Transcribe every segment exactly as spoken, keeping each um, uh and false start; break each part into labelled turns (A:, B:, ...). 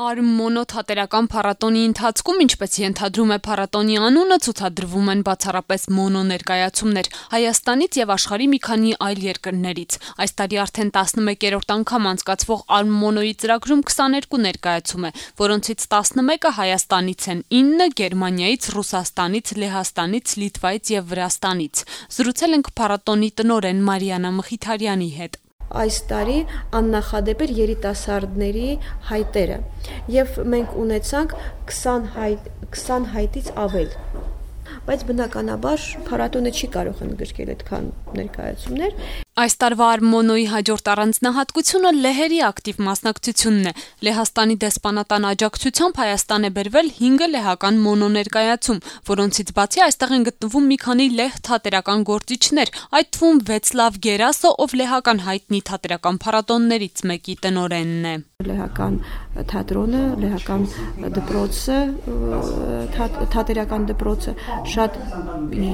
A: Արմմոնո թատերական փառատոնի ընթացքում, ինչպես ենթադրում է փառատոնի անունը, ցուցադրվում են բացառապես մոնո ներկայացումներ Հայաստանից եւ աշխարհի մի քանի այլ երկրներից։ Այս տարի արդեն տասնմեկերորդ անգամ անցկացվող Արմմոնոյի ծրագրում քսաներկու ներկայացում է, որոնցից տասնմեկը Հայաստանից են, ինը Գերմանիայից, Ռուսաստանից, Լեհաստանից, Լիտվայից եւ Վրաստանից։ Զրուցել ենք փառատոնի տնօրեն Մարիաննա Մխիթարյանի հետ։
B: Այս տարի աննախադեպ էր երիտասարդների հայտերը եւ մենք ունեցանք քսան հայտից ավել, բայց բնականաբար փառատոնը չի կարող ընդգրկել այդքան ներկայացումներ։
A: Այս տարվա Արմմոնոյի հաջորդ առանձնահատկությունը լեհերի ակտիվ մասնակցությունն է։ Լեհաստանի դեսպանատան աջակցությամբ Հայաստան է բերվել հինգ լեհական մոնո ներկայացում, որոնցից բացի այստեղ են գտնվում մի քանի լեհ թատերական գործիչներ, այդ թվում Վեցլավ Գերասը, ով լեհական հայտնի թատերական փառատոններից մեկի տնօրենն է։
B: Լեհական թատրոնը, լեհական դպրոցը, թատերական դպրոցը շատ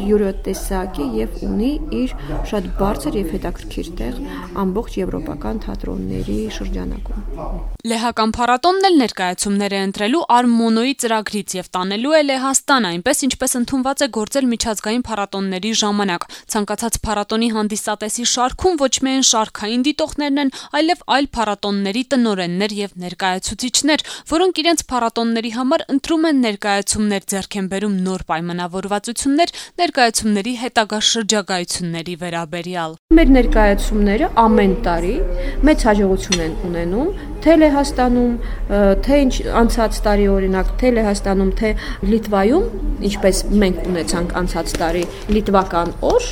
B: յուրատեսակ է եւ ունի իր շատ բարձր եւ հետաքրքիր տեղ ամբողջ եվրոպական թատրոնների շրջանակում։
A: Լեհական փառատոնն էլ ներկայացումներ է ընտրելու Արմմոնոյի ծրագրից եւ տանելու է Լեհաստան, այնպես ինչպես ընդունված է գործել միջազգային փառատոնների ժամանակ։ Ցանկացած փառատոնի հանդիսատեսի շարքում ոչ միայն շարքային դիտողներն են, այլև այլ փառատոնների տնօրեններ եւ ներկայացուցիչներ, որոնք իրենց փառատոնների համար ընտրում են ներկայացումներ, ձեռք են բերում նոր պայմանավորվածություններ ներկայացումների հետագա շրջագայությունների վերաբերյալ։
B: Մեր ներկայացումները ամեն տարի մեծ հաջողություն են ունենում, թե Լեհաստանում, թե անցած տարի օրինակ, թե Լեհաստանում, թե Լիտվայում, ինչպես մենք ունեցանք անցած տարի լիտվական օր,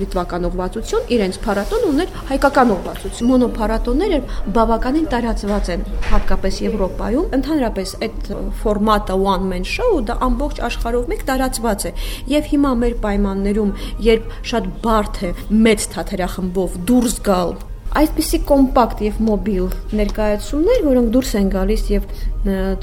B: լիտվական ուղղվածություն, իրենց փառատոն ուներ հայկական ուղղվածություն։ Մոնո փառատոնները բավականին տարածված են, հատկապես Եվրոպայում, ընդհանրապես այդ ֆորմատը one man show դա ամբողջ աշխարհով մեկ տարածված է։ Եվ հիմա մեր պայմաններում, երբ շատ բարդ է մեծ թատերախմբով դուրս գալ, այսպիսի կոմպակտ եւ մոբիլ ներկայացումներ, որոնք դուրս են գալիս եւ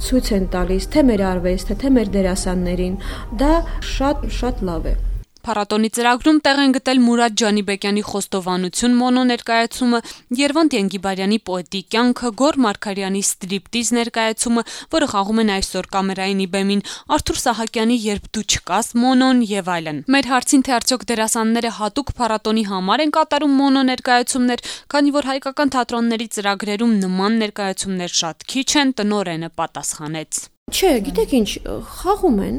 B: ցույց են տալիս թե մեր արվեստը, թե մեր դերասաններին, դա շատ շատ լավ է։
A: Փառատոնի ծրագրում տեղ են գտել Մուրադ Ջանիբեկյանի խոստովանություն մոնո ներկայացումը, Երվանդ Ենգիբարյանի պոետի կյանքը, Գոր Մարգարյանի ստրիպտիզ ներկայացումը, որը խաղում են այսօր կամերայինի բեմին, Արթուր Սահակյանի Երբ դու չկաս մոնոն եւ այլն։ Մեր հարցին թե արդյոք դերասանները հատուկ փառատոնի համար են կատարում մոնո ներկայացումներ, քանի որ հայկական թատրոնների ծրագրերում նման ներկայացումներ շատ քիչ են, տնօրենը պատասխանեց.
B: Չէ, գիտեք ինչ, խաղում են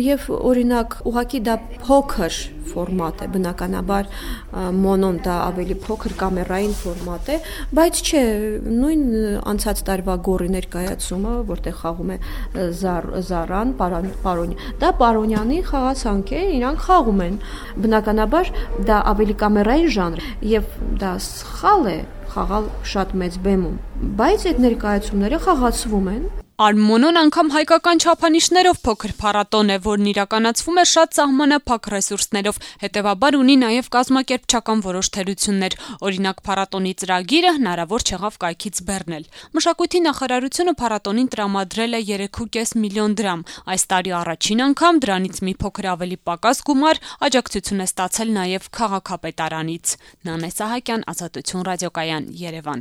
B: եւ օրինակ ուղղակի դա փոքր ֆորմատ է, բնականաբար մոնոն դա ավելի փոքր կամերային ֆորմատ է, բայց չէ, նույն անցած տարվա Գորի ներկայացումը, որտեղ խաղում է Զարան, Պարոնյան, դա Պարոնյանի խաղացանք է, իրանք խաղում են։ Բնականաբար դա ավելի կամերային ժանր եւ դա սխալ է խաղալ շատ մեծ բեմում, բայց այդ ներկայացումները խաղացվում են։
A: Արմմոնոն անգամ հայկական չափանիշներով փոքր փառատոն է, որն իրականացվում է շատ սահմանափակ ռեսուրսներով, հետևաբար ունի նաև կազմակերպչական որոշ թերություններ։ Օրինակ փառատոնի ծրագիրը հնարավոր չեղավ կայքից բեռնել։ Մշակույթի նախարարությունը փառատոնին տրամադրել է երեք ու կես միլիոն դրամ։ Այս տարի առաջին անգամ դրանից մի փոքր ավելի պակաս գումար աջակցություն է ստացել նաև քաղաքապետարանից։ Նանե Սահակյան, Ազատություն ռադիոկայան, Երևան։